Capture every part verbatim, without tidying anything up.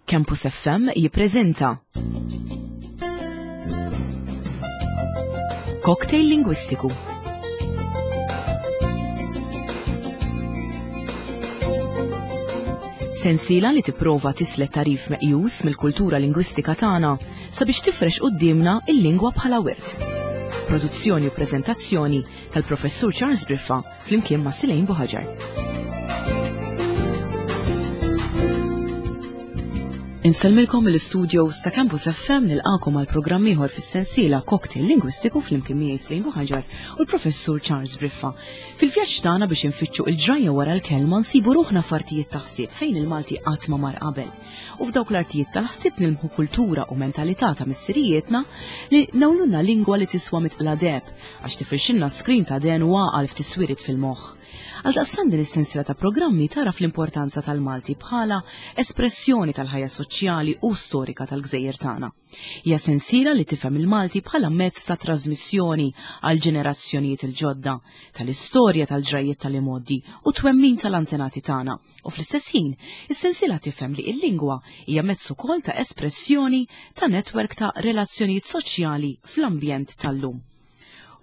Campus F M jippreżenta Cocktail Lingwistiku. Sensiela li tipprova tislet tarif meqjus mill-kultura lingwistika tagħna sabiex tifrex quddiemna il-lingwa bħala wirt. Produzzjoni u preżentazzjoni tal-Professur Charles Briffa flimkien ma' Silejn Buħaġar. Insellmilkom mill-istudios ta' Campus F M nilqakom għal programm ieħor fis-sensiela Cocktail Lingwistiku flimkien miegħi Silejn Buħaġar u l-Professur Charles Briffa. Fil-vjaġġ tagħna biex infittxu il-ġrajja wara l-kelma nsibu ruħna f'artijiet ta' ħsieb fejn il-Malti qatt ma mar qabel. U f'dawk l-artijiet tal-ħsieb nilmħu kultura u mentalità ta' missirijietna li nawlulna lingwa li tiswa mitqla deheb għax tifirxilna skrin ta' den u għaqal f'tiswirit fil-moħħ. Għaldaqstant din is-sensiela ta' programmi tara fl-importanza tal-Malti bħala espressjoni tal-ħajja soċjali u storika tal-gżejjer tagħna. Hija sensiela li tifhem il-Malti bħala mezz ta' trasmissjoni għal ġenerazzjonijiet il-ġodda, tal-istorja tal-ġrajjiet tal-imgħoddi u twemmin tal-antenati tagħna. U fl-istess ħin, is-sensiela tifhem li l-lingwa hija mezz ukoll ta' espressjoni ta' netwerk ta' relazzjonijiet soċjali fl-ambjent tal-lum.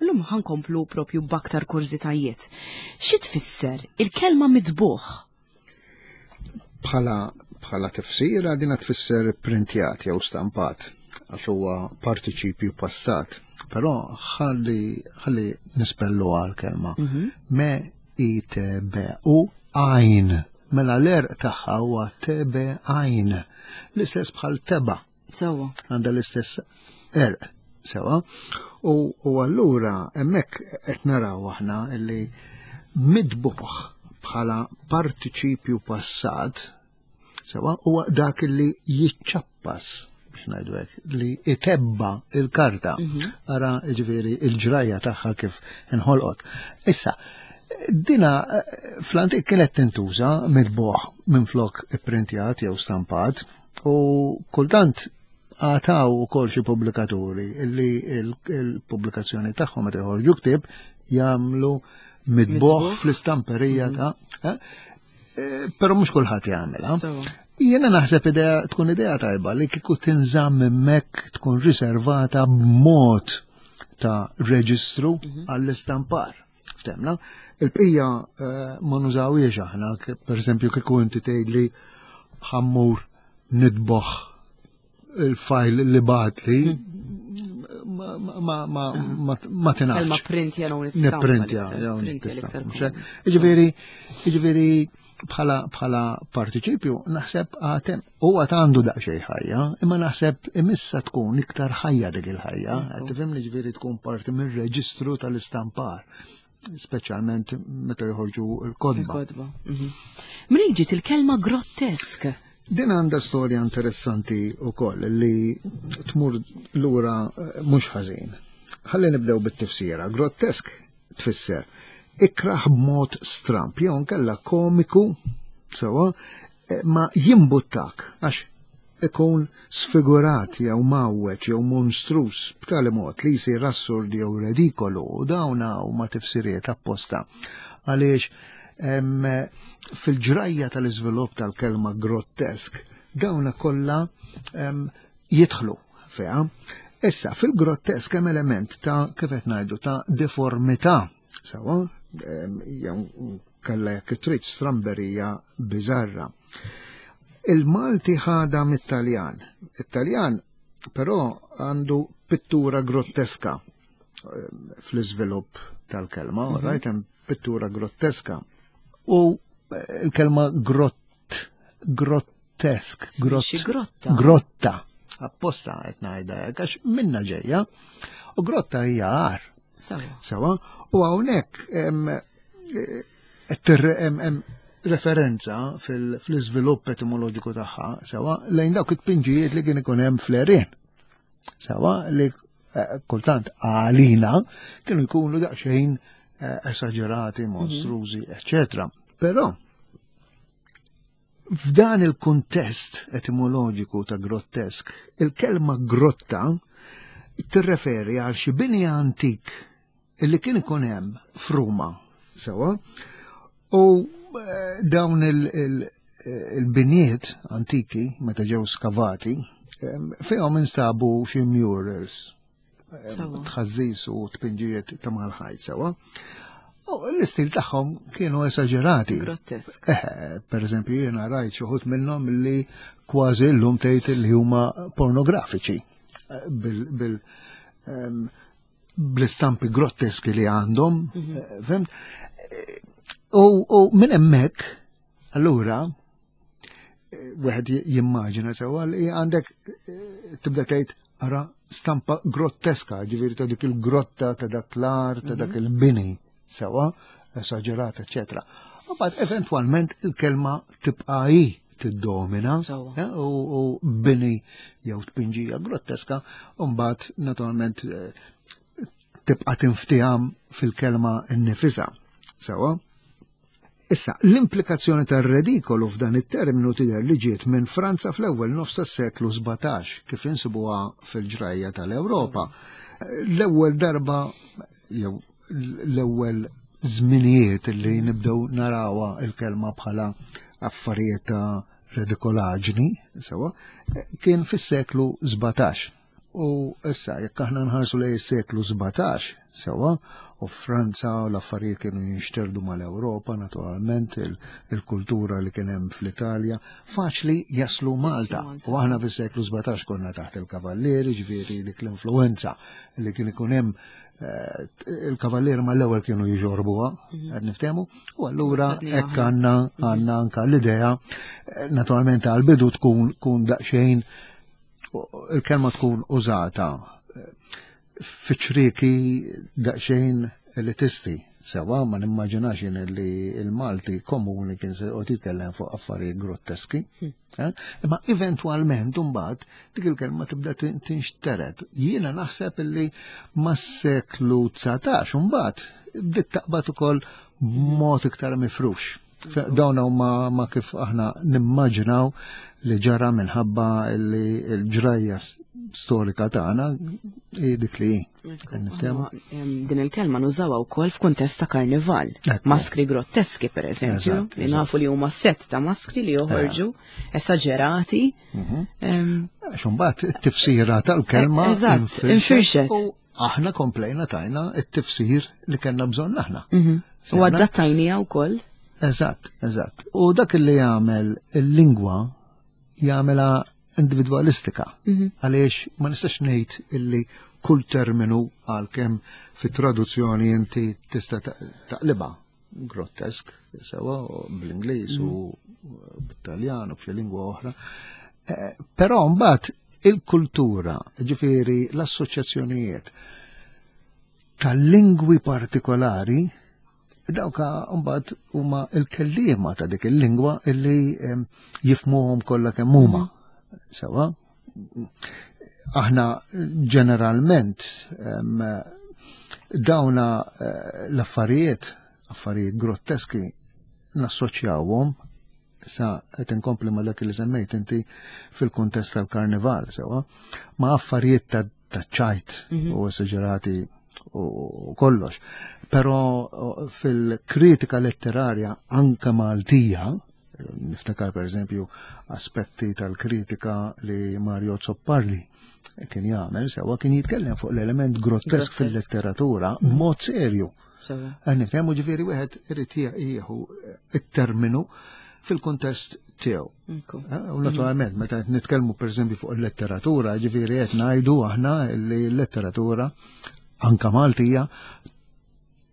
L-lum ħankomplu propju b'aktar kurżitajiet. Xi tfisser il-kelma mitbuħ? Bħala, bħala tifsira dina tfisser printjat jew stampat għax huwa partiċipju passat. Però ħalli, ħalli nispellu għal-kelma. Mhm. Me I T B U għajn. Mela l-erq tagħha huwa T B għajn. L-istess bħal teba. Sewwa. Għandha l-istess erq. Sewa, u, u allura hemmhekk qed naraw aħna li mitbuħ bħala partiċipju passat, sewa, huwa dak li jiċċappas, biex ngħidu hekk, li itebba il-karta. Mhm. Ara, jiġifieri, il-ġrajja tagħha kif inħolqot. Issa, dina fl-antik kienet tintuża mitbuħ minflok ipprintjat jew stampat, u kultant għataw u kol xi pubblikaturi illi il-, il-pubblikazzjoni tagħhom meta joħorġu ktieb jagħmlu mitbuħ Mitbuħ. fl-istamperija Mhm. ta', eh, eh, però mhux kulħadd jagħmilha. Sewa. Jiena naħseb idea tkun idea tajba li kieku tinżamm hemmhekk tkun riservata b'mod ta' reġistru Mhm. għall-istampar. Ftemna, il-bqija, eh, ma nużawiex aħna, ke-, per eżempju kieku inti tgħidli ħammur nitboħ il-fajl li batli, ma, ma, ma, ma, ma, ma tingħax. Kelma printja jew nistampa Nipprintja, l-iktar, jew printja nistampa, l-iktar mhux hekk? komuni. Jiġifieri, jiġifieri bħala, bħala partiċipju naħseb għatem u għad għandu daqsxejn ħajja, imma naħseb imissa tkun iktar ħajja dik il-ħajja, Ekku. qed tifhimni, ġifieri tkun parti mir-reġistru tal-istampar, speċjalment meta joħorġu l-kodba. Il-kodba. Mhm. Minn ġiet il-kelma grottesk? Din għandha storja interessanti wkoll li tmur lura, eh, mhux ħażin. Ħalli nibdew bit-tifsira. Grottesk tfisser ikraħ b'mod stramp, jew nkella komiku, sewa, eh, ma jimbuttak għax ikun sfigurat jew mawweġ jew monstrus b'tali mod li jsir assurd jew redikolu, u dawn huma tifsiriet apposta. Għaliex em, fil-ġrajja tal-iżvilupp tal-kelma grottesk, dawna kollha, em, jidħlu fiha. Issa, fil-grottesk hemm element ta' kif qed ngħidu ta' deformità, sewa, em, jew kellha jekk trid stramberija biżarra. Il-Malti ħada mit-Taljan. It-Taljan però għandu pittura grotteska, em, fl-iżvilupp tal-kelma, Mhm. right? Hemm pittura grotteska. U, eh, il-kelma grott, grottesk, grott, Xi grotta. Grotta. Apposta qed ngħidha hekk għax minna ġejja. U grotta hija għar. Sewa. Sewa. U hawnhekk hemm, eh, qed tirre-, hemm, hemm referenza fil-, fl-iżvilupp etimoloġiku tagħha, sewa, lejn dawk it-tpinġijiet li kien ikun hemm fl-għerien. Sewa, li, eh, kultant għalina kienu jkunu daqsxejn, eh, esagerati, Mhm. monstrużi, eccetera. Però f'dan il-kuntest etimoloġiku ta' grottesk, il-kelma grotta tirreferi għal xi bini antik illi kien ikun hemm f'Ruma, sewa, u, eh, dawn il-, il-, il-biniet antiki meta ġew skavati fihom instabu xi murals, tħażżiż u tpinġijiet ta' mal-ħajt sewa. U l-istil tagħhom kienu esaġerati. Grottesk. Eh, per eżempju, jiena rajt xi wħud minnhom li kważi llum tgħid li huma pornografiċi bil, bil um, bl-istampi grotteski li għandhom, mm -hmm. fhimt? U, u minn hemmhekk, allura, wieħed jimmaġina sewa li għandek tibda tgħid ara stampa grotteska, ġifieri ta' dik il-grotta, ta' dak l-art, ta' dak il-bini, sewa, esaġerata, eccetera. U mbagħad eventwalment il-kelma tibqa' hi tiddomina u, u bini jew tpinġija grotteska, u mbagħad naturalment tibqa' tinftiham fil-kelma nnifisha. Sewa? Issa, l-implikazzjoni tar-redikolu f'dan it-terminu tidher li ġiet minn Franza fl-ewwel nofs tas-seklu sbatax, kif insibuha fil-ġrajja tal-Ewropa. L-ewwel darba jew l-ewwel żminijiet li nibdew narawha il-kelma bħala affarijiet ta' redikolaġni, sewa, kien fis-seklu sbatax. U issa, jekk aħna nħarsu lejn is-seklu sbatax, sewa, u Franza u l-affarijiet kienu jinxterdu mal-Ewropa, naturalment, il-kultura li kien hemm fl-Italja, faċli jaslu Malta. U aħna fis-seklu sbatax konna taħt il-kavallieri, ġifieri dik l-influenza li kien ikun hemm il-kavallieri mal-ewwel kienu jġorbuha, qed niftehmu, u allura hekk għandna għandna anka l-idea, naturalment għal-bidu tkun tkun daqsxejn il-kelma tkun użata fiċ-ċrieki daqsxejn elitisti. Sewa, ma nimmaġinax jien li il-Malti komuni kien se joqgħod jitkellem fuq affarijiet grotteski. Imma eventwalment imbagħad dik il-kelma tibda tinxtered. Jiena naħseb illi mas-seklu dsatax imbagħad bdiet taqbad ukoll b'mod iktar mifrux. Dawn huma ma kif aħna nimmaġinaw li ġara minħabba li l-ġrajja storika tagħna hi dik li hi. Din il-kelma nużawha wkoll f'kuntest ta' karnival. Maskri grotteski pereżempju, li nafu li huma set ta' maskri li joħorġu esaġerati. Għax imbagħad it-tifsira tal-kelma infirxet. U aħna komplejna tajna it-tifsir li kellna bżonn aħna. U adattajniha wkoll. Eżatt, eżatt. U dak li jagħmel il-lingwa jagħmilha individwalistika. Għaliex ma nistax ngħid illi kull terminu għalkemm fit-traduzzjoni inti tista' taqlibha grottesk, sewa bl-Ingliż u bit-Taljan u b'xi lingwa oħra. Però mbagħad il-kultura, ġifieri l-assoċjazzjonijiet tal-lingwi partikolari, dawka mbagħad huma l-kelliema ta' dik il-lingwa illi jifmuhom kollha kemm huma. Sewa, aħna ġeneralment dawna l-affarijiet, affarijiet grotteski, nassoċjawhom sa qed inkompli ma' dak li semmejt inti fil-kuntest tal-karnival, sewa, ma' affarijiet ta' ċajt u esaġerati u kollox. Però fil-kritika letterarja anka Maltija, niftakar per eżempju aspetti tal-kritika li Mario Azzopardi kien jagħmel, sewa kien jitkellem fuq l-element grottesk fil-letteratura b'mod serju. Nifhemu ġifieri wieħed irid jieħu it-terminu fil-kuntest tiegħu. U naturalment meta qed nitkellmu pereżempju fuq il-letteratura, ġifieri qed ngħidu aħna li l-letteratura anka Maltija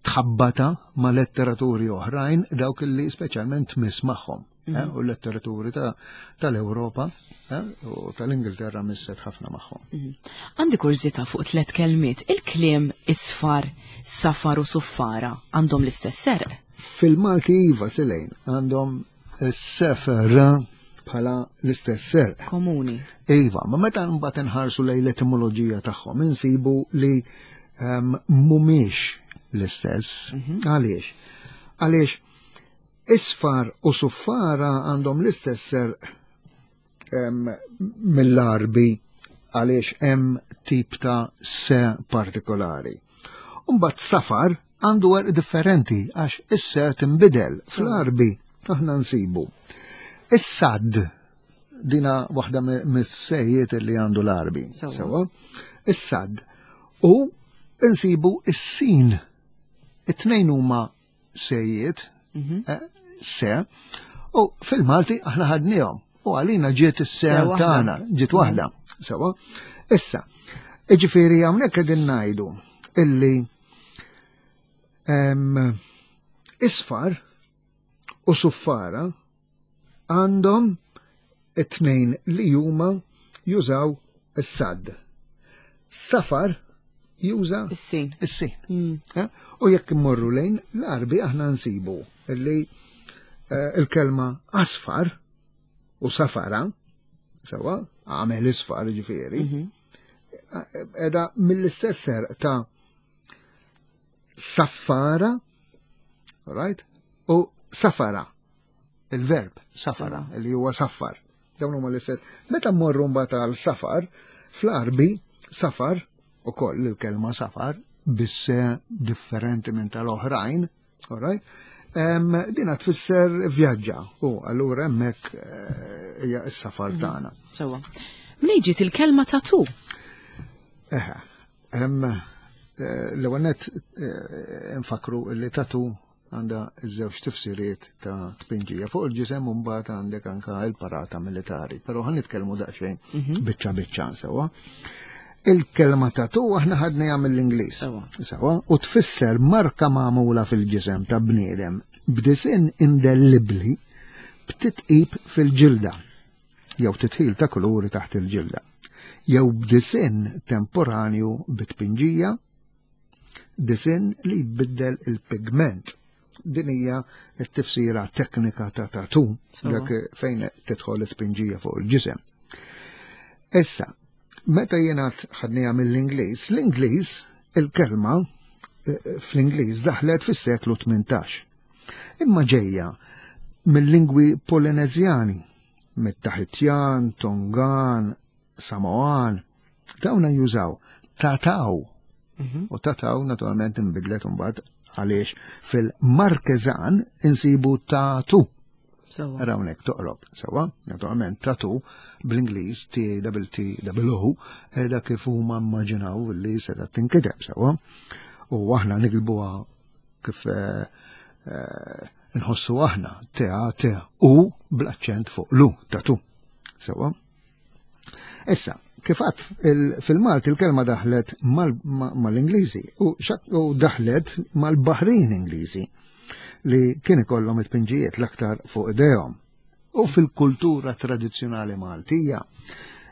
tħabbata ma' letteraturi oħrajn dawk li speċjalment tmiss magħhom. U l-letteraturi tal-Ewropa u tal-Ingilterra misset ħafna magħhom. Għandi kurżità fuq tliet kelmiet. Il-kliem isfar, safar u suffara għandhom l-istess serq? Fil-Malti iva Selejn għandhom sefer bħala l-istess serq. Komuni. Iva, ma meta mbagħad inħarsu lejn l-etimoloġija tagħhom insibu li mhumiex l-istess. Għaliex? Għaliex isfar u suffara għandhom l-istess serq mill-Arbi għaliex hemm tip ta' se partikolari. Mbagħad safar għandu għerq differenti għax is-se tinbidel. Fl-Arbi aħna nsibu Is-sad, dina waħda mis-sejjiet li għandu l-Għarbi. Sewa. Is-sad. U insibu is-sin. It-tnejn huma sejjiet, mhm. eh, se, u fil-Malti aħna ħadnihom. U għalina ġiet is-se tagħna, ġiet waħda. Sewa. Issa, ġifieri hawnhekk qegħdin ngħidu illi isfar u suffara għandhom it-tnejn li huma jużaw is-sad. Safar juża is-sin. Is-sin. Mm. Eh? U jekk immorru lejn l-Għarbi aħna nsibu illi eh, il-kelma asfar u safara, sewa, għamel isfar ġifieri, mhm. edha mill-istess serq ta' saffara, right? U safara, il-verb safara, li huwa saffar. Dawn huma l-istess. Meta mmorru mbagħad għal safar, fl-Għarbi safar ukoll il-kelma safar bisse differenti minn tal-oħrajn, all right? Um, dina tfisser vjaġġa u allura hemmhekk eh, hija s-safar mhm. tagħna. Sewwa. Mnejn ġiet il-kelma tatu? Eħe, hemm eh, l-ewwel nett eh, nfakru li tatu għandha żewġ tifsiriet ta' tpinġija fuq il-ġisem u mbagħad għandek anka il-parata militari, però ħa nitkellmu daqsxejn mhm. biċċa biċċa sewwa. Il-kelma tatu aħna ħadniha mill-Ingliż. Sewwa, u tfisser marka magħmula fil-ġisem ta' bniedem b'disinn indellibbli b'titqib fil-ġilda jew titħil ta' kuluri taħt il-ġilda jew b'disinn temporanju bit-tpinġija, disinn li jbiddel il-pigment. Din hija t-tifsira teknika ta' tatu, dak fejn tidħol it-tpinġija fuq il-ġisem. Issa, meta jiena ħadniha mill-Ingliż, l-Ingliż il-kelma eh, fl-Ingliż daħlet fis-seklu tmintax. Imma ġejja mill-lingwi Polineżjani, mit-Taħitjan, Tongan, Samoan, dawna jużaw tataw. Mhm. U tataw naturalment inbidlet imbagħad għaliex fil-Markeżan insibu tatu. Hawnhekk toqrob, sewa, naturalment tatu bl-Ingliż T double T double O dak kif huma immaġinaw li seta' tinkiteb sewa. U aħna nikilbuha kif eh, eh, nħossu aħna T A T U bl-aċċent fuq l-U tatu. Sewa. Issa, kif għad fil-Malti il-kelma daħlet mal-Ingliżi u daħlet mal-Baħrin Ingliżi li kien ikollhom it-pinġijiet l-aktar fuq idejhom. U fil-kultura tradizzjonali Maltija,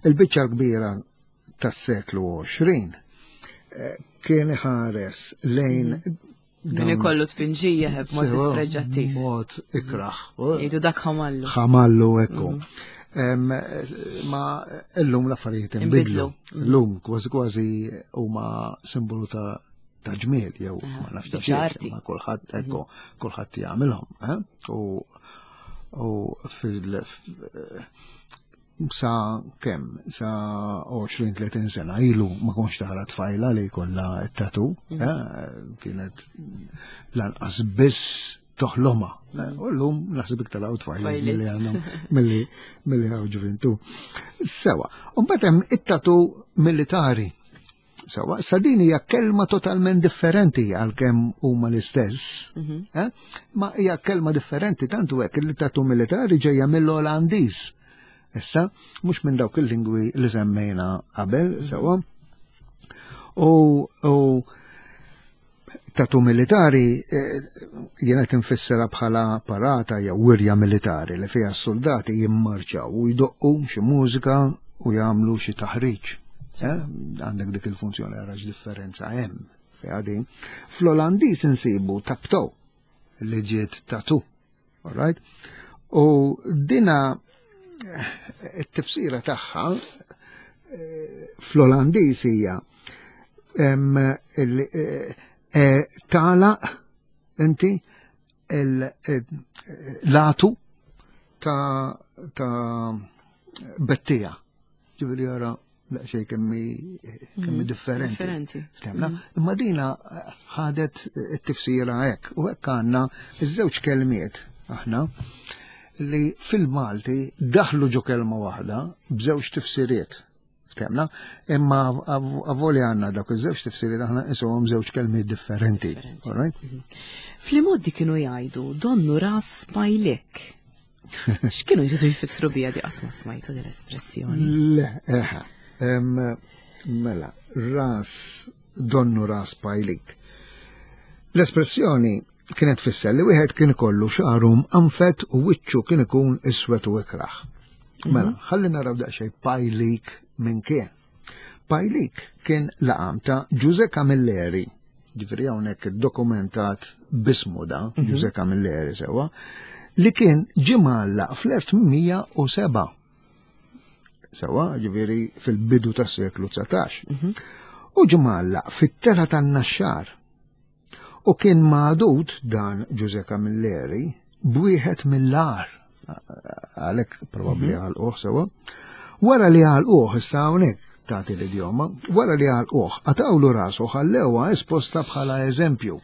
il-biċċa l-kbira tas-seklu għoxrin eh, kien iħares lejn Min ikollu tpinġija ħeb mod dispreġġattiv. Mod ikraħ. Jgħidu dak ħamallu. Ħamallu ekku. Mm. Ma illum l-affarijiet inbidlu. Illum kważi kważi huma simbolu ta' ta' ġmiel jew ma nafx ta' ma kulħadd ekku mhm. kulħadd jagħmilhom. Eh? U u fil sa kemm, sa għoxrin tletin sena ilu ma konx tara tfajla li jkollha t-tatu, mm. eh, kienet lanqas biss toħloma. Eh, u llum naħseb iktar hawn tfajla milli għandhom milli milli hawn ġuvintu. Sewa, u mbagħad hemm it-tatu militari. Sewa, sa din hija kelma totalment differenti għalkemm huma l-istess, mhm. eh? Ma hija kelma differenti tantu hekk li tatu militari ġejja mill-Olandiż. Issa, mhux minn dawk il-lingwi li semmejna qabel, mhm. sewa. U, u tatu militari eh, jiena tinfissera bħala parata jew wirja militari li fiha s-soldati jimmarċaw u jdoqqu xi mużika u jagħmlu xi taħriġ. Eh, għandek dik il-funzjoni għarax differenza hemm fiha din. Fl-Olandiż insibu tapto li ġiet tatu. All right? U dina eh, it-tifsira tagħha eh, fl-Olandiż hija tagħlaq inti l-latu ta' ta' bettija. Ġifieri jara daqsxejn kemmi kemmi mm, differenti. Differenti. Ftemna? Mm. Imma dina ħadet it-tifsira hekk u hekk għandna iż-żewġ kelmiet aħna li fil-Malti daħlu ġo kelma waħda b'żewġ tifsiriet. Ftehmna, imma avolja għandna dak iż-żewġ tifsiriet, aħna nqisuhom żewġ kelmiet differenti. All right? Fl-imgħoddi kienu jgħidu "donnu ras pajlik". X'kienu jridu jfissru bija di? Qatt ma smajtu din l-espressjoni. Le, eħe. Em, Mela, ras, donnu ras pajlik. L-espressjoni kienet tfisser li wieħed kien ikollu xagħru mqanfed u wiċċu kien ikun iswed u ikraħ. Mela, ħalli naraw daqsxejn pajlik minn kien. Pajlik kien laqam ta' Ġuże Camilleri, ġifieri hawnhekk dokumentat bismu da, Ġuże Camilleri, sewa, li kien ġie mgħallaq fl-elf tmien mija u sebgħa. Sewa, ġifieri fil-bidu tas-seklu dsatax. U ġie mgħallaq fit-telgħa tan-Naxxar. U kien magħdud dan Ġuże Camilleri b'wieħed mill-agħar. Għalhekk probabbli għalquh, sewa. Wara li għalquh, issa hawnhekk tagħti l-idjoma, wara li għalquh, qatgħulu rasu, ħallewha esposta bħala eżempju.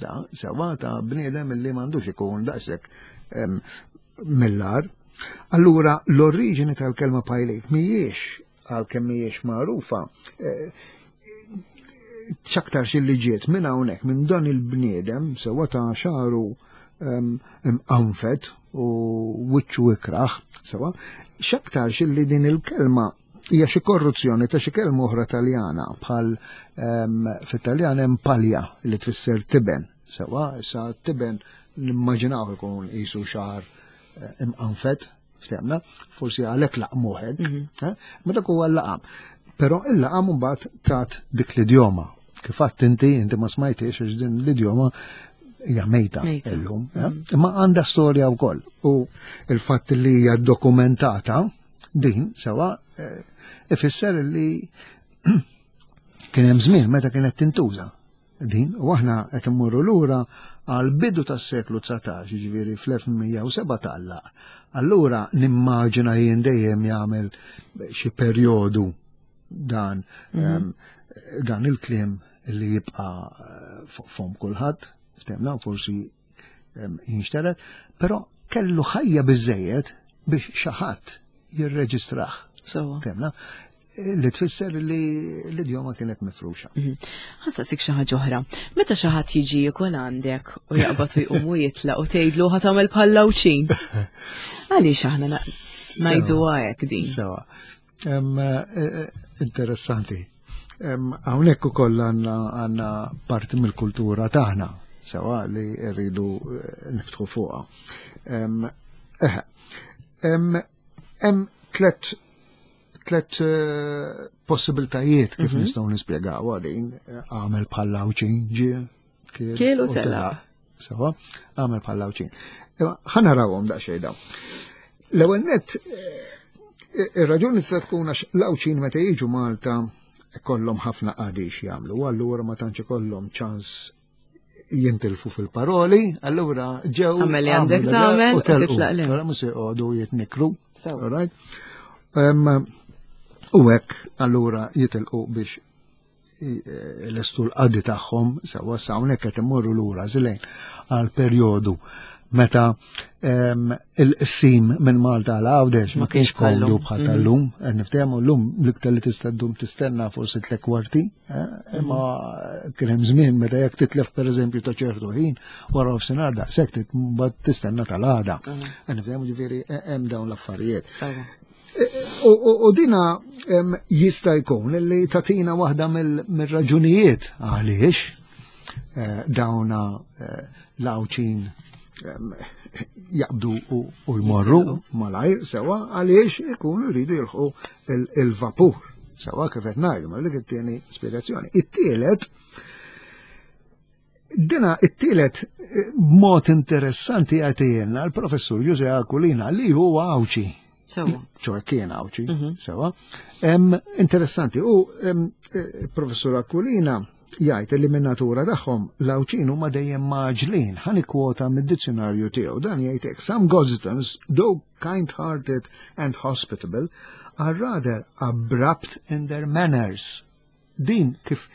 Da, sewa, ta' bniedem li m'għandux ikun daqshekk em, mill-agħar. Allura l-oriġini tal-kelma pajlik mhijiex, għalkemm mhijiex magħrufa, eh, x'aktarx li ġiet minn hawnhekk, minn dan il-bniedem, sewa, ta' xagħru imqanfed u wiċċu ikraħ, sewa, x'aktarx li din il-kelma hija xi korruzzjoni ta' xi kelma oħra Taljana, bħal fit-Taljan hemm palja li tfisser tiben, sewa, issa tiben nimmaġinaw ikun qisu xagħar eh, imqanfed, ftehmna, forsi għalhekk laqmuh hekk, mhm. eh, ma dak huwa l-laqam. Però il-laqam mbagħad tat dik l-idjoma. Kif għedt inti, inti ma smajtix għax din l-idjoma hija mejta illum. Eh? Mhm. Imma għandha storja wkoll. U il-fatt li hija dokumentata din sewa ifisser li kien hemm żmien meta kienet tintuża din, u aħna qed immorru lura għal bidu tas-seklu dsatax, jiġifieri fl-elf tmien mija u sebgħa tgħallaq. Allura nimmaġina jien dejjem jagħmel xi perjodu dan mhm. dan il-kliem li jibqa' fuq fom kulħadd, ftehmna, forsi jinxteret, però kellu ħajja biżejjed biex xi ħadd jirreġistrah. Ftehmna, li tfisser li l-idjoma kienet mifruxa. Mhm. Ħa nsaqsik xi ħaġa oħra. Meta xi ħadd jiġi jikol għandek u jaqbad u jqum u jitlaq u tgħidlu "ħa tagħmel bħal Għawdxin". Għaliex aħna ngħidu hekk din? Sewa. Eh, eh, interessanti. Hawnhekk ukoll għandna parti mill-kultura tagħna, sewa, li rridu eh, niftħu fuqha. Hemm tlet tlet eh, possibiltajiet kif mhm. nistgħu nispjegaw għadin "għamel bħal Għawdxin", ġie kiel u telaq. Sewa, "għamel bħal Għawdxin". Ħa narawhom daqsxejn dawn. L-ewwel net, eh, ir-raġuni tista' tkun għax l-Għawdxin meta jiġu Malta kollhom ħafna qadi jagħmlu, allura ma tantx ikollhom ċans jintilfu fil-paroli, allura ġew. Għamel li għandek tagħmel u titlaq 'l hemm. Mhux joqogħdu jitnikru. All right? U hekk allura jitilqu biex l-estu l-qadi tagħhom, sewa. Sa hawnhekk qed immorru lura żlejn għal perjodu meta il-qsim minn Malta għal Għawdex ma kienx komdu bħal mhm. tal-lum, niftehmu, llum l-iktar li tista' ddum tistenna forsi tliet kwarti, eh, imma kien hemm żmien meta jekk titlef, pereżempju, ta' ċertu ħin wara nofsinhar, daqshekk mbagħad tistenna tal-għada. Mhm. Niftehmu, ġifieri hemm dawn l-affarijiet. U dina jista' jkun li tatina waħda mill-raġunijiet għaliex eh, dawna eh, l-Għawdxin jaqbdu u jmorru malajr, sewa, għaliex ikunu jridu jilħqu il-vapur. Sewa, kif qed ngħidu, ma dik it-tieni spjegazzjoni. It-tielet Dina it-tielet eh, mod interessanti jagħtihilna l-professur Jose Aquilina, li huwa Għawdxi. ċoè kien Għawdxi, mhm. sewa. Interessanti, u eh, professur Aquilina jgħid li minn natura tagħhom l-Għawdxin huma dejjem mgħaġġlin. Ħa nikkwota mid-dizzjonarju tiegħu. Dan jgħid hekk: "Some Gozitans, though kind-hearted and hospitable, are rather abrupt in their manners." Din kif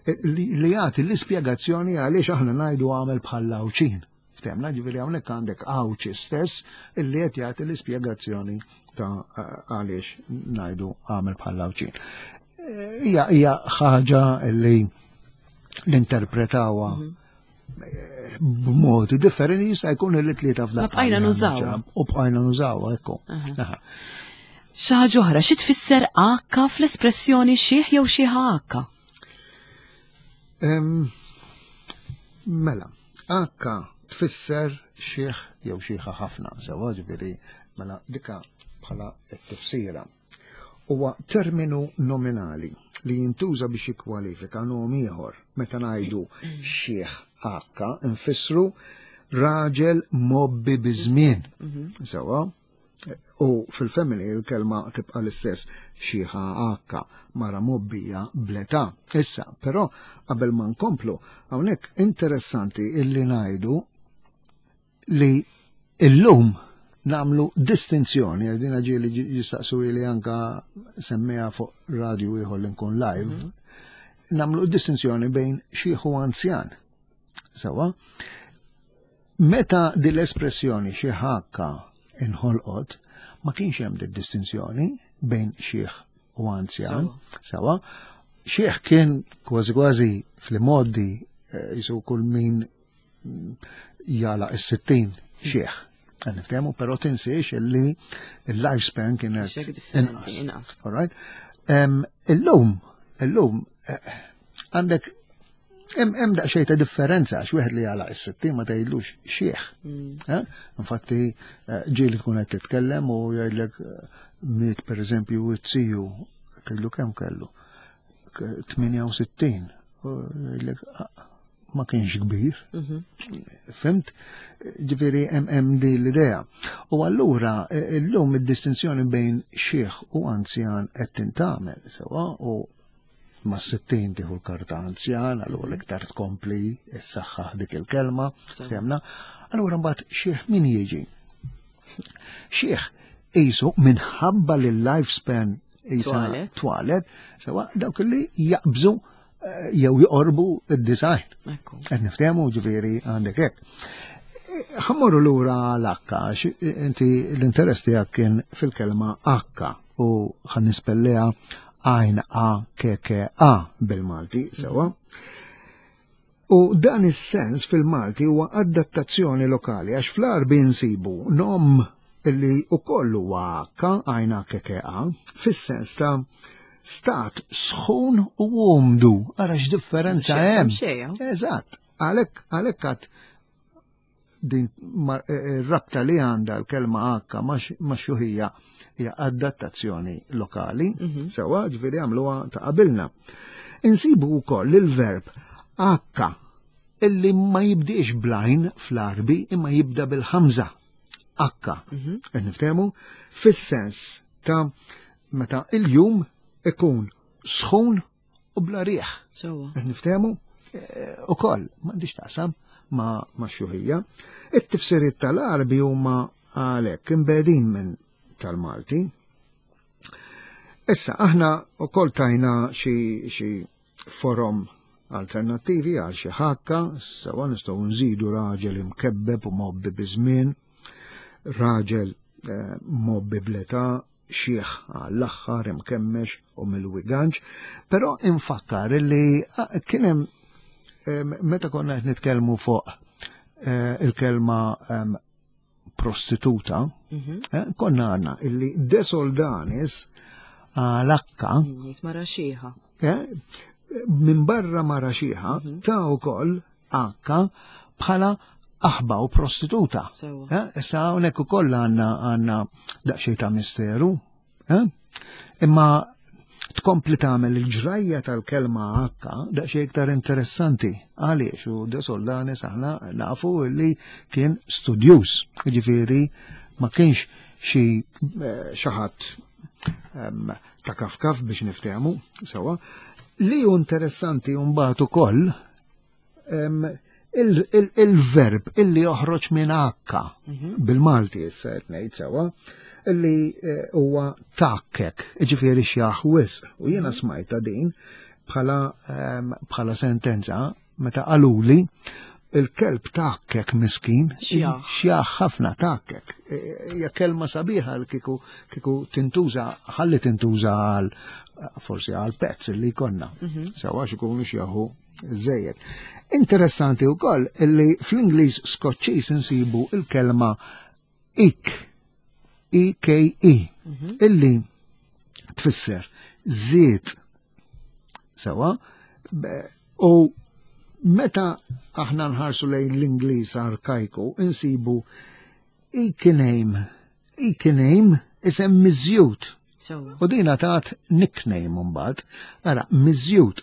eh, li jagħti l-ispjegazzjoni għaliex aħna ngħidu "għamel bħal Għawdxin". Ftehmna, ġifieri hawnhekk għandek Għawdxi stess illi qed jagħti l-ispjegazzjoni ta' għaliex ngħidu għamel bħal Għawdxin. Hija hija ħaġa li l-interpretawha b'modi differenti, jista' jkun li tlieta f'daqqa. Ma bqajna nużawha. U bqajna nużawha, ekku. Xi ħaġa oħra, xi tfisser akka fl-espressjoni xiħ jew xiħa akka? Mela, akka tfisser xiħ jew xiħa ħafna, sewa, ġifieri mela dika bħala t-tifsira. Huwa terminu nominali li jintuża biex jikkwalifika nom ieħor. Meta ngħidu xiħ akka, nfissru raġel mobbi biż-żmien. Sewa, u fil-family il-kelma tibqa' l-istess, xiħa akka, mara mobbija bl-età. Issa, però qabel ma nkomplu, hawnhekk interessanti illi ngħidu li illum namlu distinzjoni, għedina ġieli jistaqsu li anka semmija fuq radio ieħor li nkun live, namlu distinzjoni bejn xiħ u anzjan. Sewa, meta din l-espressjoni xiħ akka inħolqot, ma kienx hemm din distinzjoni bejn xiħ u anzjan. Sewa, xiħ kien kważi kważi fl-modi jisu kull min jala is-sittin xiħ. Niftehmu, però tinsiex illi il-lifespan kienet inqas. All right? Illum, illum, għandek hemm daqsxejn ta' differenza għax wieħed li jala is-sittin ma tgħidlux xiħ. Infatti ġieli tkun qed titkellem u jgħidlek miet pereżempju it-tiju, tgħidlu kemm kellu? tmienja u sittin. Jgħidlek ma kienx kbir. Fimt? Ġifieri hemm din l-idea. U allura illum id-distinzjoni bejn xiħ u anzjan qed tintgħamel sewa, u ma' sittin tieħu l-karta anzjan, allura iktar tkompli s-saħħa dik il-kelma, fehmna. Allura mbagħad xiħ min jiġi? Xiħ qisu minħabba li l-lifespan qisha twalet, sewa dawk li jaqbżu jew joqorbu id-design. Qed niftehmu, ġifieri għandek hekk. Ħammorru lura l-akka, inti l-interess tiegħek kien fil-kelma akka u ħan nispelleha għajn A K K A bil-Malti, sewa. U dan is-sens fil-Malti huwa adattazzjoni lokali għax fl-Għarbi nsibu nom illi ukoll huwa akka, għajn A K K A, fis-sens ta' stat sħun u umdu. Ara x'differenza hemm. Eżatt. Għalhekk għalhekk għad din ir-rabta li għandha l-kelma akka ma' xuħija hija adattazzjoni lokali, sewa, ġifieri għamluha ta' qabilna. Insibu wkoll il-verb akka illi ma jibdiex blajn fl-Għarbi imma jibda bil-ħamża. Akka. Qed niftehmu fis-sens ta' meta il-jum ikun sħun u bla riħ. Qed niftehmu ukoll m'għandix taqsam ma' ma' xuħija. It-tifsiriet tal-Għarbi huma għalhekk imbegħdin minn tal-Malti. Issa aħna wkoll tajna xi xi forom alternattivi għal xi ħakka, sewa nistgħu nżidu raġel imkebbeb u mobbi biż-żmien, raġel mobbi bl-età, xiħ għall-aħħar imkemmex u mill-wiganċ, però infakkar li kien hemm meta konna qed nitkellmu fuq il-kelma prostituta, konna għandna illi De Soldanis għal-akka mara xiħa. Minn barra mara xiħa ta' wkoll akka bħala aħba u prostituta. Issa hawnhekk ukoll għandna għandna daqsxejn ta' misteru, imma tkompli tagħmel il-ġrajja tal-kelma akka daqsxejn iktar interessanti. Għaliex u De Soldanis aħna nafu li kien studjuż, jiġifieri ma kienx xi xi ħadd ta' kafkaf biex niftehmu sewa. Li hu interessanti mbagħad ukoll il-verb illi joħroġ minn akka bil-Malti issa qed ngħid sewa, illi huwa takkek, jiġifieri xjaħ wisq. U jiena smajta din bħala bħala sentenza meta qaluli Il-kelb takkek miskin, Xjaħ. Xjaħ ħafna takkek. E, hija kelma sabiħa li kieku kieku tintuża, ħalli tintuża għal forsi għal pets li jkollna. Sewa x'ikunu xjaħu żejjed. Interessanti wkoll illi fl-Ingliż Skoċċiż insibu il-kelma eke, E K E, illi tfisser żied. Sewa, be- u meta aħna nħarsu lejn l-Ingliż arkajku, insibu Ekename, Ekename isem miżjud. Sewa. U dina tat nickname mbagħad, ara miżjud.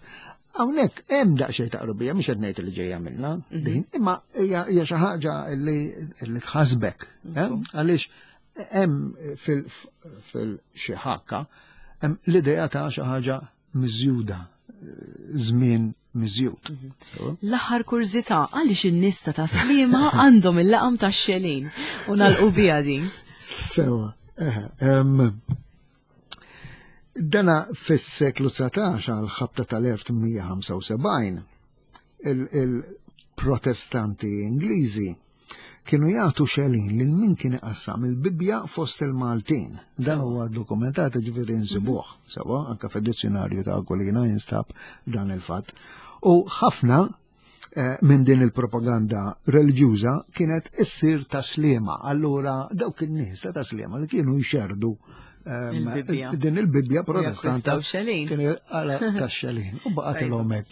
Hawnhekk hemm daqsxejn ta' qrubija, mhux qed ngħid li ġejja minna din, imma hija hija xi ħaġa li li tħasbek, eh? Għaliex hemm fil fil xi ħakka hemm l-idea ta' xi ħaġa miżjuda, żmien miżjud. Sewa? L-aħħar kurżità, għaliex in-nies ta' Tas-Sliema għandhom il-laqam tax-xelin u nagħlqu biha din? Sewa, eħe, em, dana fis-seklu dsatax, għal ħabta tal-elf tmien mija u ħamsa u sebgħin, il-protestanti Ingliżi kienu jagħtu xelin lil min kien iqassam il-Bibja fost il-Maltin. Dan huwa dokumentat, ġifieri nsibuh, sewa, anka fid-dizzjonarju ta' Aquilina jinstab dan il-fatt. U ħafna eh, minn din il-propaganda reliġjuża kienet issir Tas-Sliema. Allura dawk in-nies ta' Tas-Sliema li kienu jxerdu ehm, Il-Bibbja. din il-Bibbja protestanta Jakkwistaw xelin. kienu għala tax-xelin u baqgħetilhom hekk.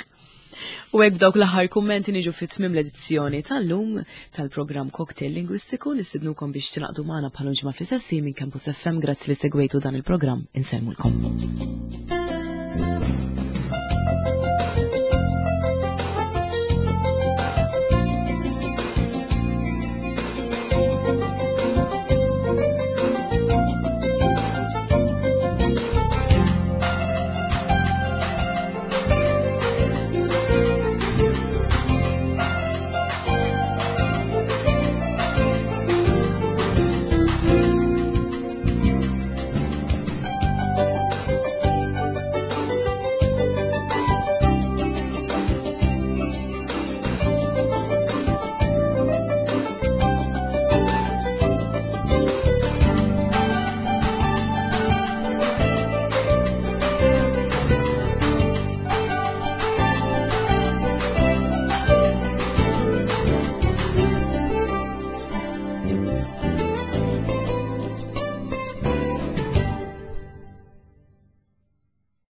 U hekk dawk l-aħħar kummenti niġu fit tmim l-edizzjoni tal-lum tal-programm Cocktail Lingwistiku. Nistednukom biex tingħaqdu magħna bħal ġimgħa fl-istess minn Campus F M. Grazzi li segwejtu dan il-programm. Insellmulkom.